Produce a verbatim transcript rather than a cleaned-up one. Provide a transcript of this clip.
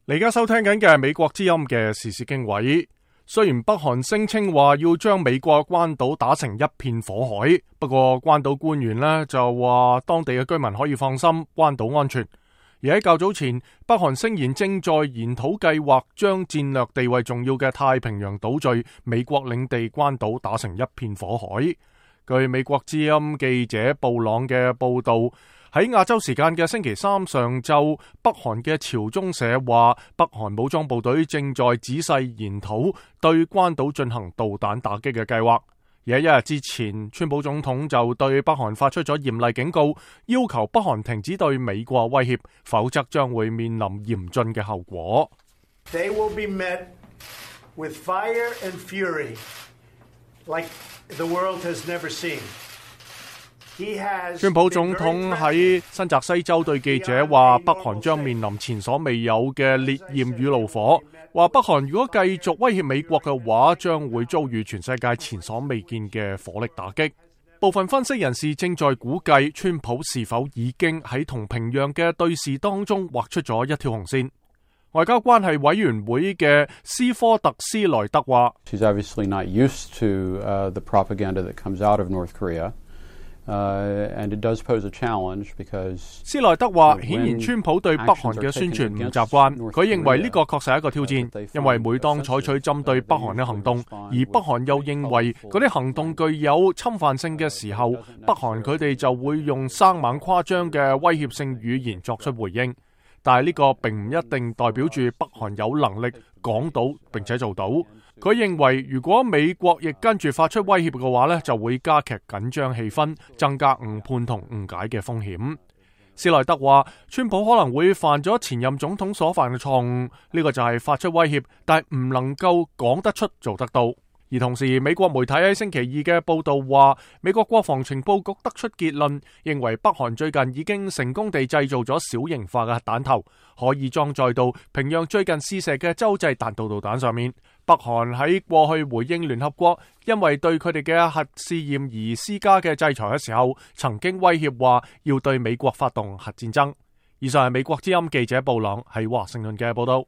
你而家收聽緊嘅係美國之音嘅時事經緯。雖然北韓聲稱話要將美國關島打成一片火海，不過關島官員呢就話當地嘅居民可以放心，關島安全。而喺較早前，北韓聲言正在研討計劃將戰略地位重要嘅太平洋島嶼美國領地關島打成一片火海。據美國之音記者布朗嘅報道，喺亞洲時間嘅星期三上晝，北韓嘅朝中社話，北韓武裝部隊正在仔細研討對關島進行導彈打擊嘅計劃。而喺一日之前，川普總統就對北韓發出咗嚴厲警告，要求北韓停止對美國威脅，否則將會面臨嚴峻嘅後果。They will be met with fire and fury like the world has never seen. 川普總統喺新澤西州對記者話，北韓將面臨前所未有嘅烈焰與怒火，話北韓如果繼續威脅美國嘅話，將會遭遇全世界前所未見嘅火力打擊。部分分析人士正在估計，川普是否已經喺同平壤嘅對峙當中畫出咗一條紅線。外交關係委員會嘅斯科特斯萊德話， She's obviously not used to, uh, the propaganda that comes out of North Korea.Uh, and it does pose a challenge because 斯萊德話，顯然川普對北韓嘅宣傳唔習慣，佢認為呢個確實係一個挑戰，因為每當採取針對北韓嘅行動，而北韓又認為嗰啲行動具有侵犯性嘅時候，北韓佢哋就會用生猛誇張嘅威脅性語言作出回應。但係呢個並唔一定代表住北韓有能力講到並且做到。佢認為如果美國亦跟住發出威脅嘅話呢，就會加劇緊張氣氛，增加誤判同誤解嘅風險。斯萊德話，川普可能會犯咗前任總統所犯嘅錯誤，呢個就係發出威脅，但係唔能夠講得出做得到。而同時，美國媒體喺星期二嘅報道話，美國國防情報局得出結論，認為北韓最近已經成功地製造咗小型化嘅核彈頭，可以裝載到平壤最近試射嘅洲際彈道導彈上面。北韓喺過去回應聯合國因為對佢哋嘅核試驗而施加嘅制裁嘅時候，曾經威脅話要對美國發動核戰爭。以上係美國之音記者布朗喺華盛頓嘅報道。